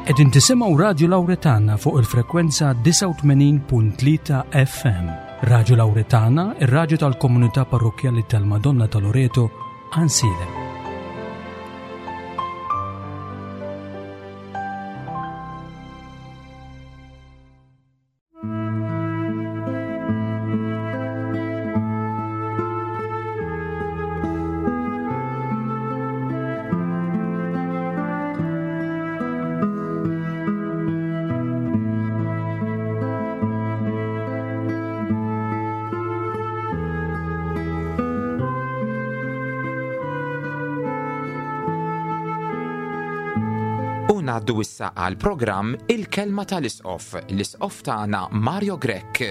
Qegħdin tisimgħu Radju Lawretana fuq il-frekwenza 89.3 FM. Radju Lawretana, ir-radju tal-komunità parrokkjali tal-Madonna ta' Loreto, Ansilem. U ngħaddu issa għal programm Il-Kelma tal-Isqof, l-Isqof tagħna Mario Grech.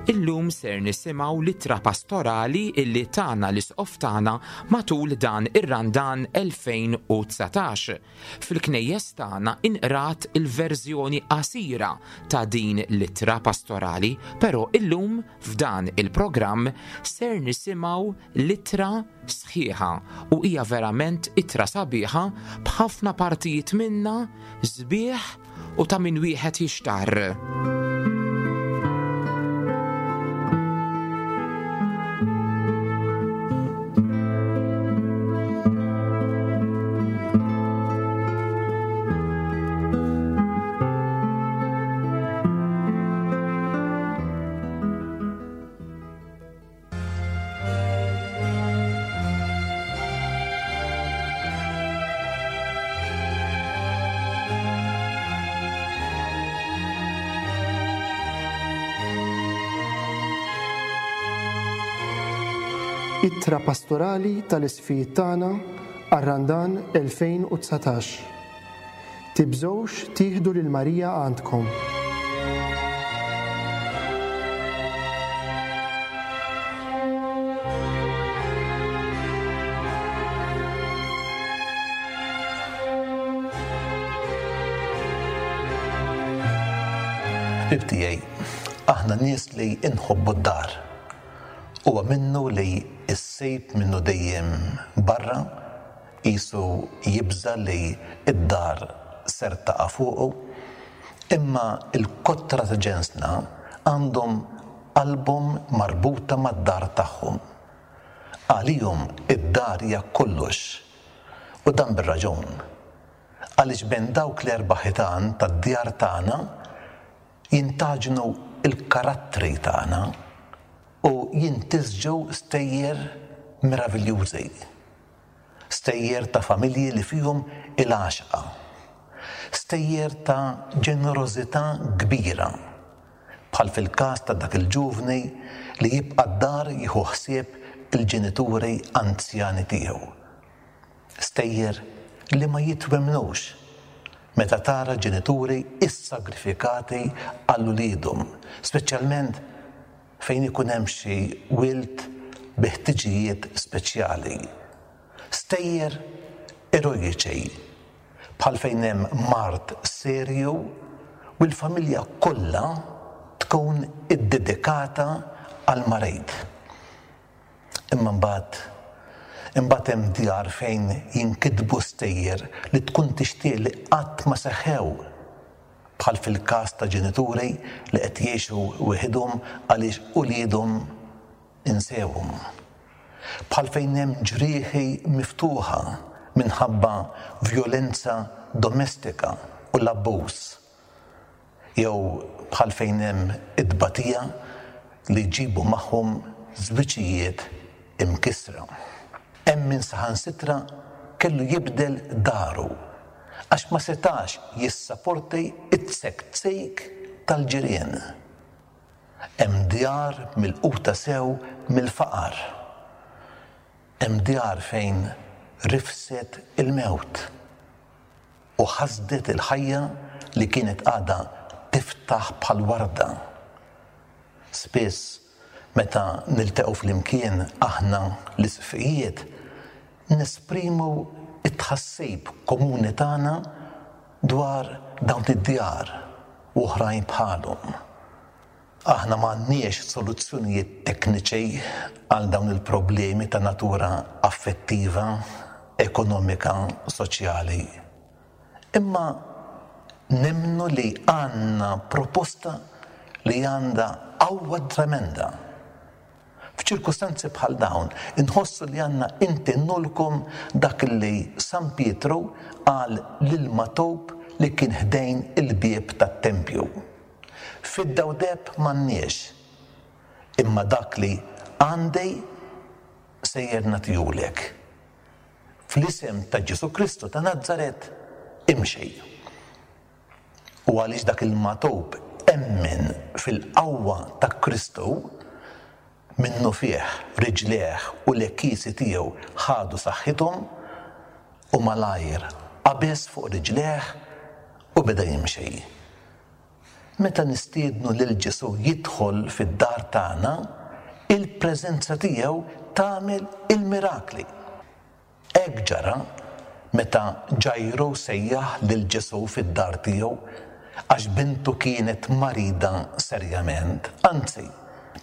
Illum ser nisimgħu l-ittra pastorali illi tana l-Isqof tagħna matul dan ir-Randan 2019. Fil-knejjes tagħna inqrat il-verżjoni qasira ta' din l-ittra pastorali, però illum f'dan il-programm ser nisimgħu l-ittra sħiħa u hija verament ittra sabiħa b'ħafna partijiet minnha sbieħ u ta' min wieħed jixtarr. Ittra pastorali tal-isqfijiet tagħna għar-Randan 2019. Tibżgħux tieħdu lil Marija għandkom. Ħbieb tiegħi, aħna nies li nħobbu d-dar. Huwa minnu li s-sejb minnu dejjem barra, Qisu jibża' li d-dar ser taqa' fuqu. Imma l-kotra ta' ġensna għandhom qalbhom marbuta mad-dar tagħhom. Għalihom id-dar hija kollox. U dan bir-raġun. Għaliex bejn dawk l-erba' ħitan tad-djar tagħna jintgħaġnu l-karattri tagħna u jintisġu stejjer meraviljużi. Stejjer ta' familji li fihom il-għaxqa. Stejjer ta' ġenerożità kbira, bħal fil-każ ta' dak il-ġuvni li jibqa' d-dar jieħu ħsieb il-ġenituri anzjani tiegħu. Stejjer li ma jitwemmnux meta tara ġenituri issagrifikati għal uliedhom, speċjalment fejn ikun hemm xi wild bi ħtiġijiet speċjali. Stejjer erojiċi, bħal fejn hemm mard serju u l-familja kollha tkun iddedikata għall-marid. Imma mbagħad, imbagħad hemm djar fejn jinkitbu stejjer li tkun tixtieq li qatt ma seħħew. bħal fil-każ ta' ġenituri li qed jgħixu weħidhom għaliex uliedhom insewhom. Bħal fejn hemm ġrieħi miftuħa minħabba vjolenza domestika u l-abbuż. Jew bħal fejn hemm it-tbatija li jġibu magħhom żwiġijiet imkissra. Hemm min saħansitra kellu jibdel daru għax ma setax jissaporti t-tsektsik tal-ġirien. Hemm djar milquta sew mill-faqar. Hemm djar fejn rifset il-mewt u ħasdet il-ħajja li kienet għadha tiftaħ bħal warda. Spiss meta niltaqgħu flimkien aħna l-Isqfijiet nesprimu t-tħassib komuni tagħna. dwar dawn id-djar u oħrajn bħalhom. Aħna m'għandniex soluzzjonijiet tekniċi għal dawn il-problemi ta' natura affettiva, ekonomika, soċjali. Imma nemmnu li għandna proposta li għandha qawwa tremenda. F'ċirkustanzi bħal dawn, inħossu li għandna intennulkom dak li San Pietru qal lil Matob li kien ħdejn il-bieb tat-tempju. Fidda u deheb m'għandniex, imma dak li għandi sejjer nagħtihulek. Fl-isem ta' Ġesù Kristu ta' Nazaret, imxi. U għaliex dak il-magħtub emmen fil-qawwa ta' Kristu, minnufih riġlejh u l-għekiesi tiegħu ħadu saħħithom, u malajr qabeż fuq riġlejh u beda jimxi. Meta nistiednu lil Ġesù jidħol fid-dar tagħna, il-preżenza tiegħu tagħmel il-mirakli. Hekk ġara meta Ġajru sejjaħ lil Ġesù fid-dar tiegħu għax bintu kienet marida serjament. Anzi,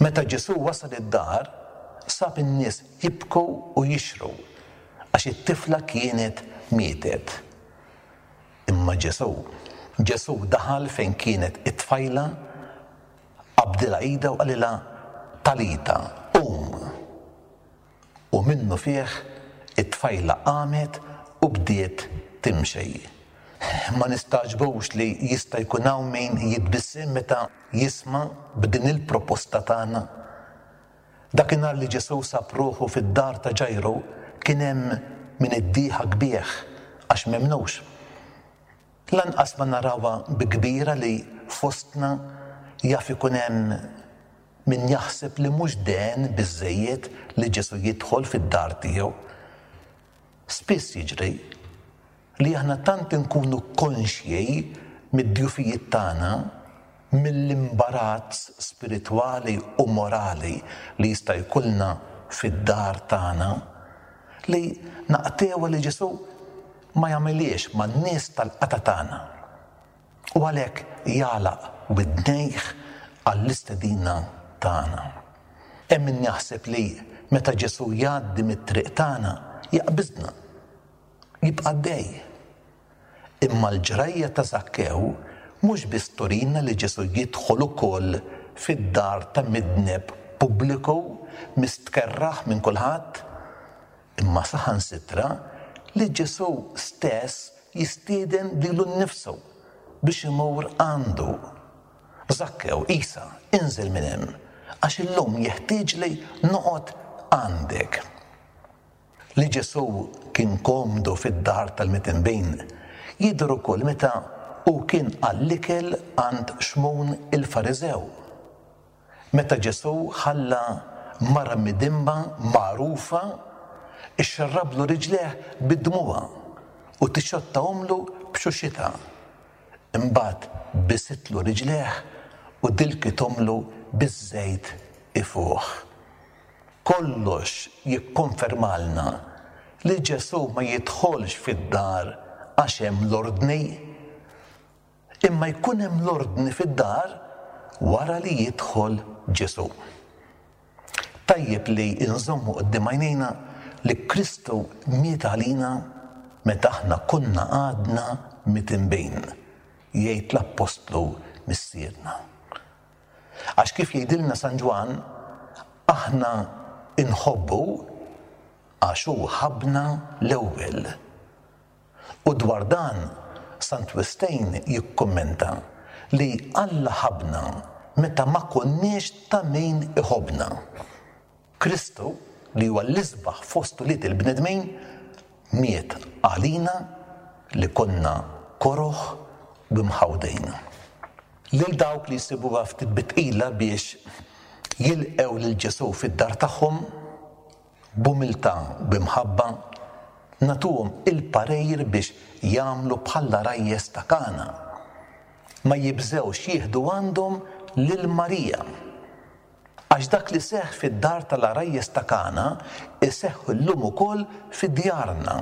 meta Ġesù wasal id-dar, sab in-nies jibku u jixhru għax it-tifla kienet mietet. Imma Ġesù, Ġesù daħal fejn kienet it-tfajla, qabdilha idha u qalilha, Talita, qum! U minnufih it-tfajla qamet u bdiet timxi. Ma nistagħġbux li jista' jkun hawn min jitbissem meta jisma' b'din il-proposta tagħna. Dakinhar li Ġesù sab ruħu fid-dar ta' Ġajru kien hemm min iddieħak bih għax m'emmnux. Lanqas ma narawha bi kbira li fostna jaf ikun hemm min jaħseb li mhux dehen biżżejjed li Ġesù jidħol fid-dar tiegħu. Spiss jiġri li aħna tant inkunu konxji mid-djufijiet tagħna, mill-imbarazz spiritwali u morali li jista' jkollna fid-dar tagħna, li naqtgħuha li Ġesù ma jagħmilhiex man-nies tal-qatgħa tagħna. U għalhekk jagħlaq widnejh għall-istedina tagħna. Hemm min jaħseb li meta Ġesù jgħaddi mit-triq tagħna jaqbiżna, jibqa' għaddej. Imma l-ġrajja ta' Żakkew mhux biss turina li Ġesù jidħol ukoll fid-dar ta' midneb pubbliku mistkerrah minn kulħadd, imma saħansitra li Ġesù stess jistieden lilu nnifsu biex imur għandu. Żakkew, Isa, inżel minn hemm, għax illum jeħtieġli noqgħod għandek. Li Ġesù kien komdu fid-dar tal-mitinbin jidher ukoll meta hu kien għall-ikel għand Xmun il-Fariżew. Meta Ġesù ħalla mara midinba magħrufa xxarrablu riġlejh bid-dmugħa u tixxottahomlu b'xuxitha. Imbagħad bisitlu riġlejh u dilkithomlu biż-żejt ifuħ. Kollox jikkonfermalna li Ġesù ma jidħolx fid-dar għax hemm l-ordni. Imma jkun hemm l-ordni fid-dar wara li jidħol Ġesù. Tajjeb li nżommu quddiem għajnejna li Kristu miet għalina meta aħna konna għadna mitinbin, jgħid l-appostlu Missierna. Għax kif jgħidilna San Ġwann, aħna nħobbu għax hu ħabbna l-ewwel. U dwar dan, Sant Wistin jikkummenta li Alla ħabbna meta ma konniex ta' min iħobbna. Kristu, li huwa l-isbaħ fost ulied il-bnedmin, miet għalina li konna koroh u mħawdin. Lil dawk li jsibuha ftit bi tqila biex jilqgħu lil Ġesù fid-dar tagħhom, B'umiltà u bi mħabba, nagħtuhom il-parir biex jagħmlu bħall-għarajjes ta' Kana. Ma jibżgħux jieħdu għandhom lil Marija. Għax dak li seħħ fid-dar tal-għarajjes ta' Kana jseħħ illum ukoll fi djarna.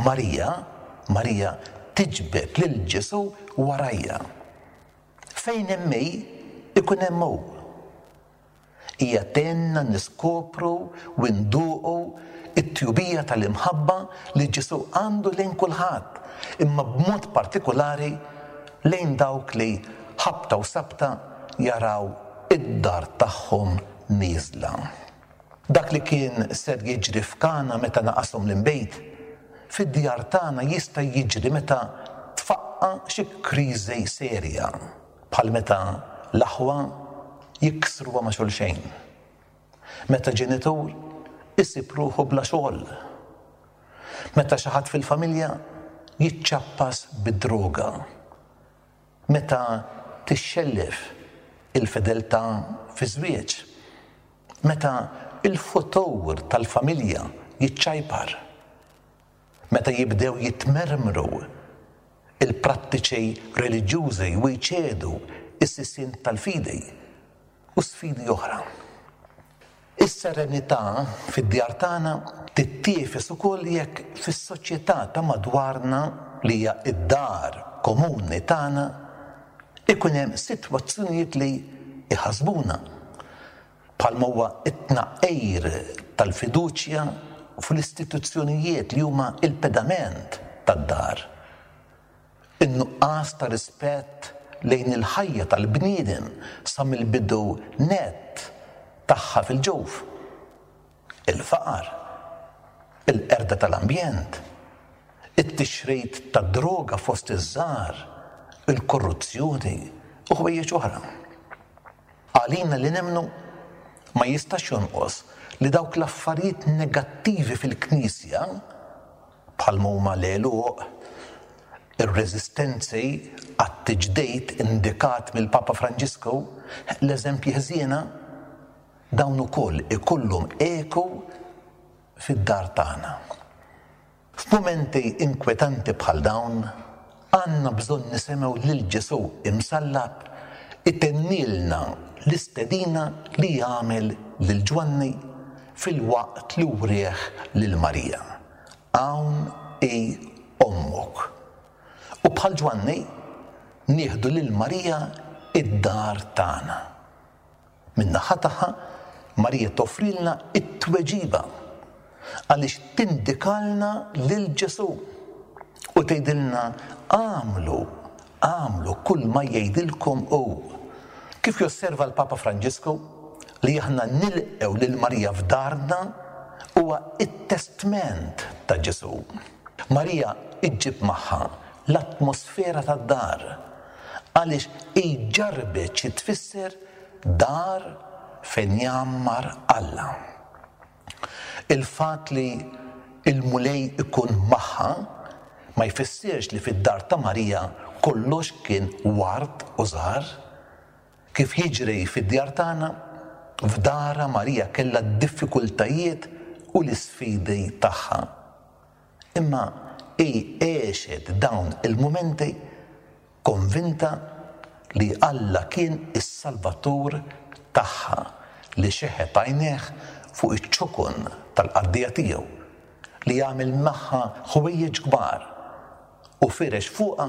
Marija, Marija tiġbed lil Ġesù warajha. Fejn hemm hi, ikun hemm hu. Hija tgħinna niskopru u nduqu t-tjubija tal-imħabba li Ġesù għandu lejn kulħadd, imma b'mod partikulari lejn dawk li ħabta u sabta jaraw id-dar tagħhom nieżla. Dak li kien ser jiġri f'Kana meta naqashom l-inbid, fid-djar tagħna jista' jiġri meta tfaqqa' xi kriżi serja, bħal meta l-aħwa jiksruha ma' xulxejn, meta ġenitur isib ruħu bla xogħol, meta xi ħadd fil-familja jiċċappas bid-droga. Meta tixxellef il-fedeltà fiż-żwieġ. Meta l-futur tal-familja jiċċajpar. Meta jibdew jitmermru l-prattiċi reliġjużi u jċedu s-sisien tal-fidi. u sfidi oħra. Is-serenità fid-djar tagħna tittiefes ukoll jekk fis-soċjetà ta' madwarna li hija d-dar komuni tagħna ikun hemm sitwazzjonijiet li jħassbuna, bħalma huwa t-tnaqqir tal-fiduċja fl-istituzzjonijiet li huma l-pedament tad-dar. In-nuqqas ta' rispett lejn il-ħajja tal-bniedem sa mill-bidu nett tagħha fil-ġuf, il-faqar, il-qerda tal-ambjent, it-tixrid tad-droga fost iż-żgħar, il-korruzzjoni u ħwejjeġ oħra. Għalina li nemmnu, ma jistax jonqos li dawk l-affarijiet negattivi fil-Knisja, bħalma huma l-għeluq, ir-reżistenzi għat-tiġdid indikat mill-Papa Franġisku, l-eżempji ħżiena, dawn ukoll ikollhom eku fid-dar tagħna. F'mumenti inkwetanti bħal dawn, għandna bżonn nisimgħu lil Ġesù imsallab itennilna l-istedina li għamel lil Ġwanni filwaqt li wrieh lil Marija. Hawn hi ommok. U bħal Ġwanni, nieħdu lil Marija d-dar tagħna. Min-naħa tagħha, Marija toffrilna t-tweġiba għaliex tindikalna lil Ġesù u tgħidilna agħmlu, agħmlu kull ma jgħidilkom hu. Kif josserva l-Papa Franġisku, li aħna nilqgħu lil Marija f'darna huwa t-testment ta' Ġesù. Marija ġġib magħha l-atmosfera tad-dar għaliex hi ġarrbet xi tfisser dar fejn jgħammar Alla. Il-fatt li l-Mulej ikun magħha ma jfissirx li fid-dar ta' Marija kollox kien ward u żahar. Kif jiġri fid-djar tagħna, f'darha Marija kellha d-diffikultajiet u l-isfidi tagħha. Imma hi għexet dawn il-mumenti konvinta li Alla kien is-Salvatur tagħha li xeħet għajnejh fuq iċ-ċokon tal-qaddejja tiegħu, li għamel magħha ħwejjeġ kbar u firex fuqha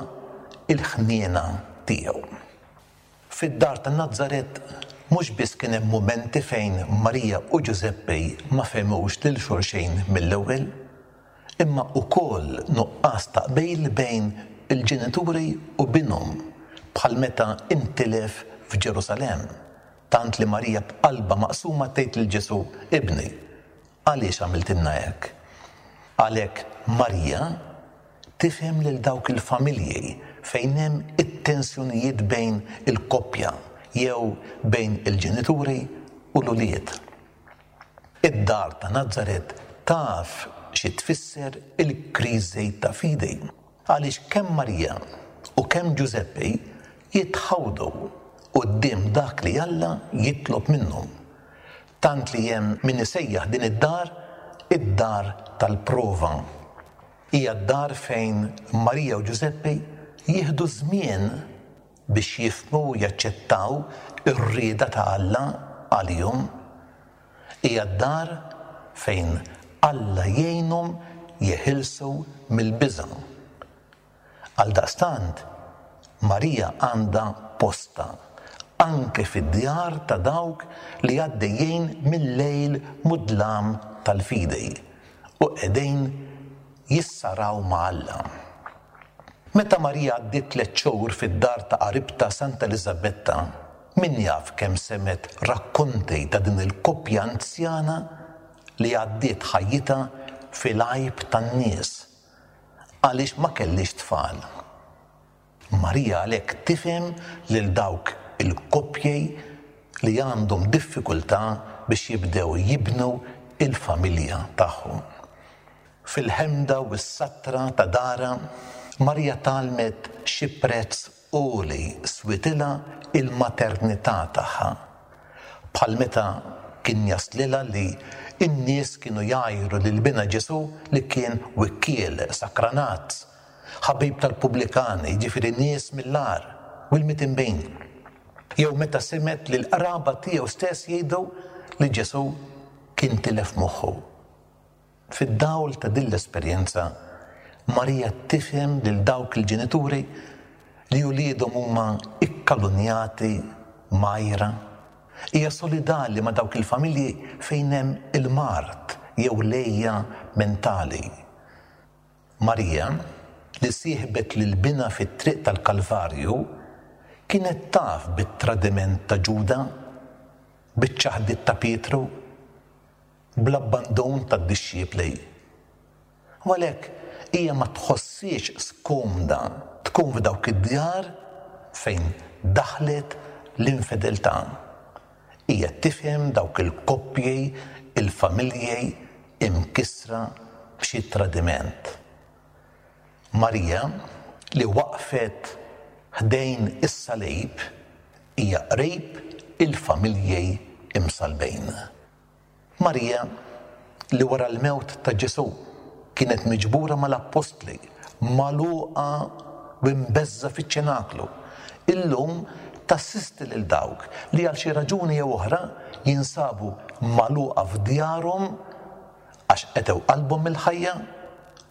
l-ħniena tiegħu. Fid-dar ta' Nazaret mhux biss kien hemm mumenti fejn Marija u Ġużeppi ma fehmux lil xulxin mill-ewwel, imma wkoll nuqqas ta' qbil bejn il-ġenituri u binhom bħal meta intilef f'Ġerusalemm, tant li Marija b'qalbha maqsuma tgħid lil Ġesù, Ibni, għaliex għamiltilna hekk? Għalhekk Marija Tifhem lil dawk il-familji fejn hemm it-tensjonijiet bejn il-koppja jew bejn il-ġenituri u l-ulied. Id-dar ta' Nazaret taf xi tfisser il-kriżi ta' fidi, għaliex kemm Marija u kemm Ġużeppi jitħawdu quddiem dak li Alla jitlob minnhom, tant li hemm min isejjaħ din id-dar id-dar tal-prova. Hija d-dar fejn Marija u Ġużeppi jieħdu żmien biex jifhmu u jaċċettaw ir-rieda ta' Alla għalihom. Hija d-dar fejn Alla jgħinhom jeħilsu mill-biża'. Għaldaqstant, Marija għandha postha anke fid-djar ta' dawk li għaddejjin mil-lejl mudlam tal-fidi u qegħdin jissaraw ma' Alla. Meta Marija għaddiet tlett xhur fid-dar ta' qaribtha Santa Eliżabetta, min jaf kemm semgħet rakkonti ta' din il-koppja anzjana li għaddiet ħajjitha fil-għajb tan-nies għaliex ma kellhiex tfal. Marija għalhekk tifhem lil dawk il-koppji li għandhom diffikultà biex jibdew jibnu l-familja tagħhom. Fil-ħemda u s-satra ta' darha, Marija tgħallmet xi prezz għoli switilha l-maternità tagħha. Bħal meta kien jaslilha li n-nies kienu jgħajru lil binha Ġesù li kien wikkiel, sakranazz, ħabib tal-pubblikani, jiġifieri nies mill-agħar u l-mitinbin. Jew meta semgħet li l-qraba tiegħu stess jgħidu li Ġesù kien tilef moħħu. Fid-dawl ta' din l-esperjenza, Marija tifhem lil dawk il-ġenituri li uliedhom huma kkalunjati, mgħajra. Hija solidali ma' dawk il-familji fejn hemm il-mard jew l-għeja mentali. Marija, li sieħbet lil binha fit-triq tal-Kalvarju, kienet taf bit-tradiment ta' Ġuda, biċ-ċaħdiet ta' Pietru, bl-abbandun tad-dixxipli. U għalhekk hija ma tħosshiex skomda tkun f'dawk id-djar fejn daħlet l-infedeltà. Hija tifhem dawk il-koppji, il-familji imkissra b'xi tradiment. Marija, li waqfet ħdejn is-salib, hija qrib il-familji msallbin. Marija, li wara l-mewt ta' Ġesù kienet miġbura mal-appostli, magħluqa u mbeżża' fiċ-ċenaklu, illum tassisti lil dawk li għal xi raġuni jew oħra jinsabu magħluqa f'djarhom għax qetgħu qalbhom mill-ħajja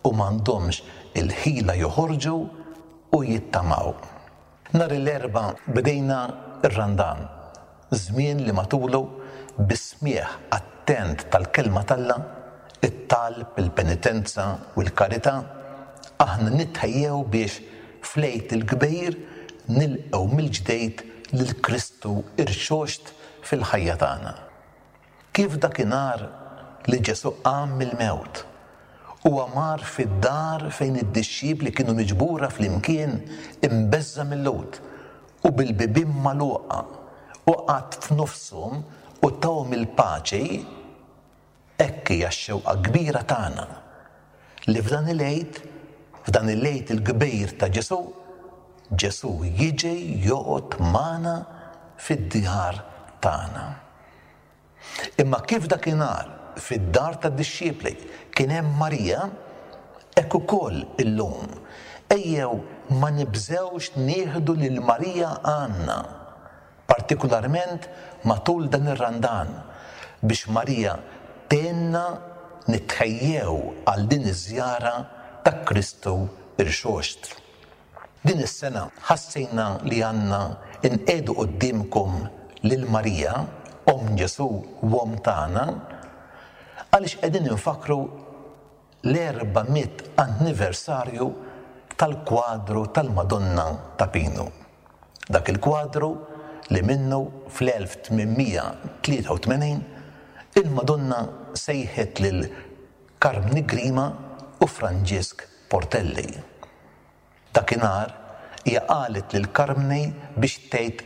u m'għandhomx il-ħila joħorġu u jittamaw. Nhar il-Erbgħa bdejna r-Randan, żmien li matulu bis-smigħ attent tal-Kelma t'Alla, it-talb, il-penitenza u l-karità, aħna nitħejjew biex fl-Għid il-Kbir nilqgħu mill-ġdid lil Kristu rxoxt fil-ħajja tagħna. Kif dakinhar li Ġesù qam mill-mewt, huwa mar fid-dar fejn id-dixxipli kienu miġbura flimkien imbeżża' mil-Lhud u bil-bibien magħluqa, u qagħad f'nofshom u tahom il-paċi, hekk hija x-xewqa kbira tagħna li f'dan il-Għid, f'dan il-Għid il-kbir ta' Ġesù, Ġesù jiġi joqgħod magħna fid-djar tagħna. Imma kif dakinhar fid-dar tad-dixxipli kien hemm Marija, hekk ukoll illum, ejjew ma nibżgħux nieħdu lil Marija għandna, partikularment matul dan ir-Randan, biex Marija tgħinna nitħejjew għal din iż-żjara ta' Kristu Rxoxt. Din is-sena ħassejna li għandna nqiegħdu quddiemkom lil Marija, Omm Ġesù u Omm tagħna, għaliex qegħdin infakkru l-400 anniversarju tal-kwadru tal-Madonna ta' Pinu. Dak il-kwadru li minnu fl-1883 il-Madonna sejħet lil Karmni Grima u Franġisk Portelli. Dakinhar hija qalet lil Karmni biex tgħid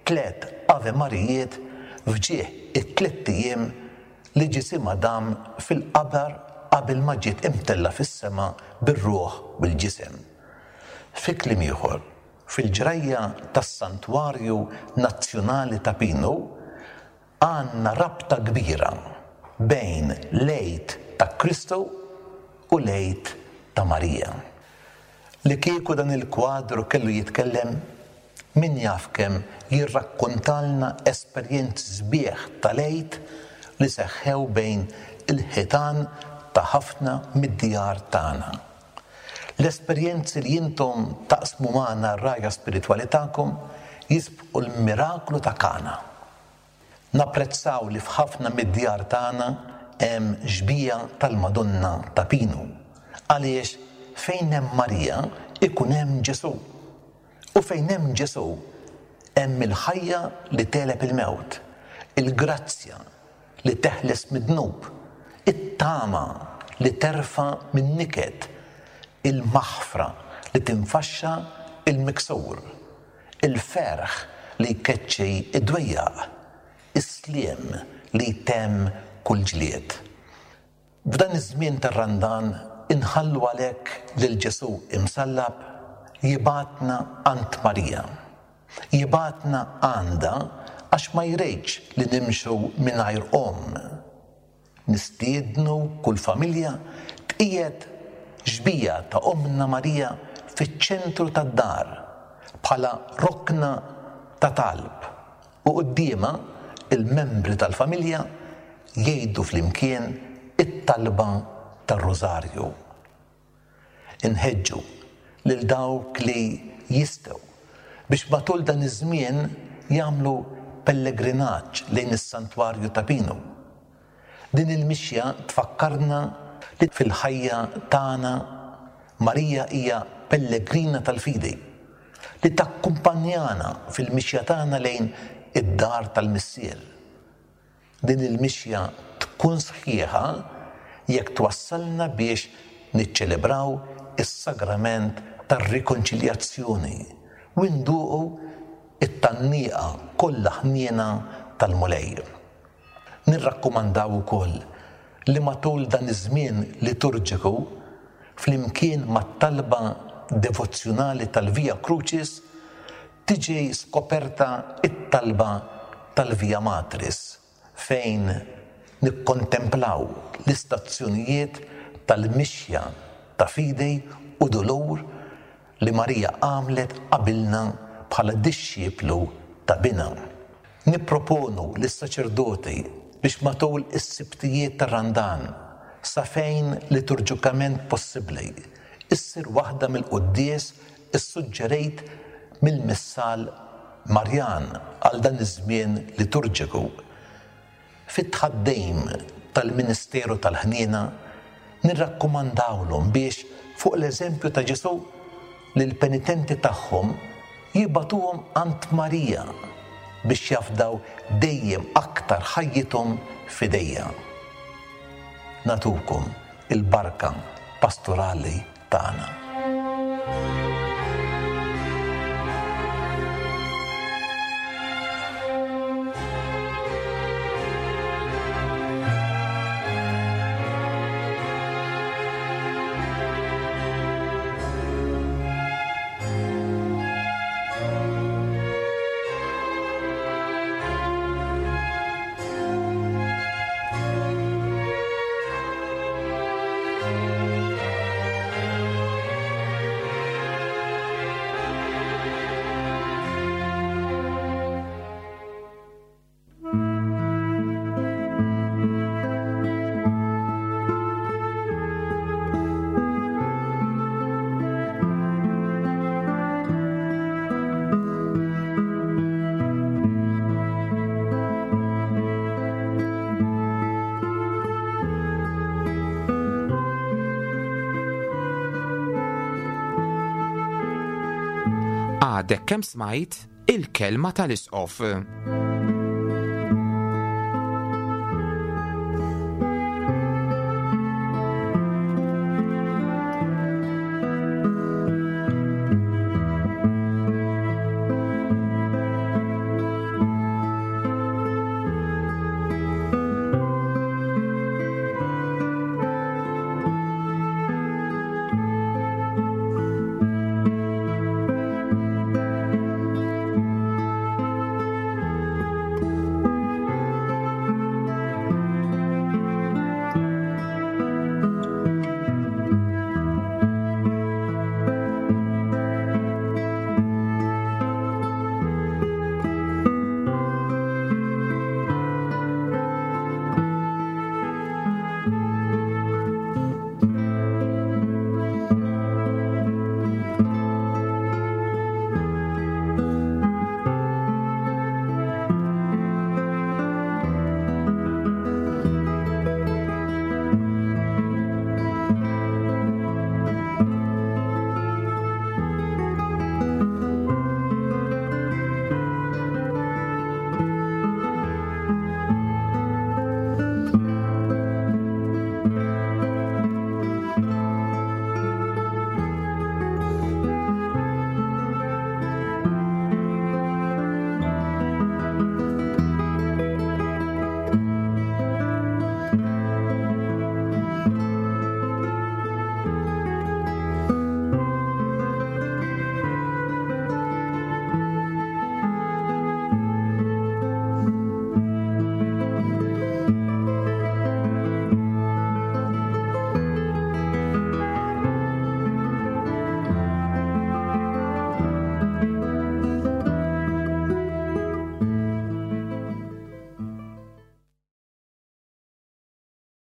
tlett Ave Marijiet f'ġieħ it-tlett ijiem li ġisimha dam fil-qabar qabel ma ġiet imtellgħa fis-sema bir-ruħ u l-ġisem. Fi kliem ieħor, fil-ġrajja tas-Santwarju Nazzjonali ta' Pinu, Għandna rabta kbira bejn l-Għid ta' Kristu u l-Għid ta' Marija. Li kieku dan il-kwadru kellu jitkellem, min jaf kemm jirrakkontalna esperjenzi sbieħ tal-Għid li seħħew bejn il-ħitan ta' ħafna mid-djar tagħna. L-esperjenzi li intom taqsmu magħna r-rgħajja spiritwali tagħkom jisbqu l-miraklu ta' Kana. Napprezzaw li f'ħafna mid-djar tagħna hemm xbieha tal-Madonna ta' Pinu, għaliex fejn hemm Marija ikun hemm Ġesù. U fejn hemm Ġesù hemm il-ħajja li tegħleb il-mewt, il-grazzja li teħles mid-dnub, it-tama li terfa' min-niket, il-maħfra li tinfaxxa l-miksur, il-ferħ li jkeċċi d-dwejjaq, is-sliem li jtemm kull ġlied. F'dan iż-żmien tar-Randan inħallu għalhekk lil Ġesù imsallab jibgħatna għand Marija. Jibgħatna għandha għax ma jridx li nimxu mingħajr omm. Nistiednu kull familja tqiegħed xbieha ta' Ommna Marija fiċ-ċentru tad-dar bħala rokna ta' talb u quddiemha l-membri tal-familja jgħidu flimkien it-talba tar-Rużarju. Inħeġġu lil dawk li jistgħu biex matul dan iż-żmien jagħmlu pellegrinaġġ lejn is-Santwarju ta' Pinu. Din il-mixja tfakkarna li fil-ħajja tagħna Marija hija pellegrina tal-fidi li takkumpanjana fil-mixja tagħna lejn id-dar tal-Missier. Din il-mixja tkun sħiħa jekk twassalna biex niċċelebraw is-sagrament tar-rikonċiljazzjoni u nduqu t-tgħanniqa kollha ħniena tal-Mulej. Nirrakkomandaw ukoll li matul dan iż-żmien liturġiku, flimkien mat-talba devozzjonali tal-Via Crucis, tiġi skoperta t-talba tal-Via Matris fejn nikkontemplaw l-istazzjonijiet tal-mixja ta' fidi u dulur li Marija għamlet qabilna bħala dixxiplu ta' Binha. Nipproponu lis-saċerdoti biex matul is-Sibtijiet tar-Randan, sa fejn liturġikament possibbli, issir waħda mill-quddies issuġġerejt mill-Missal Marjan għal dan iż-żmien liturġiku. Fit-tħaddim tal-ministeru tal-ħniena, nirrakkomandawlhom biex, fuq l-eżempju ta' Ġesù, lill-penitenti tagħhom jibagħtuhom għand Marija biex jafdaw dejjem aktar ħajjithom f'idejha. Nagħtukom il-barka pastorali tagħna. Għadek kemm smajt il-kelma tal-Isqof.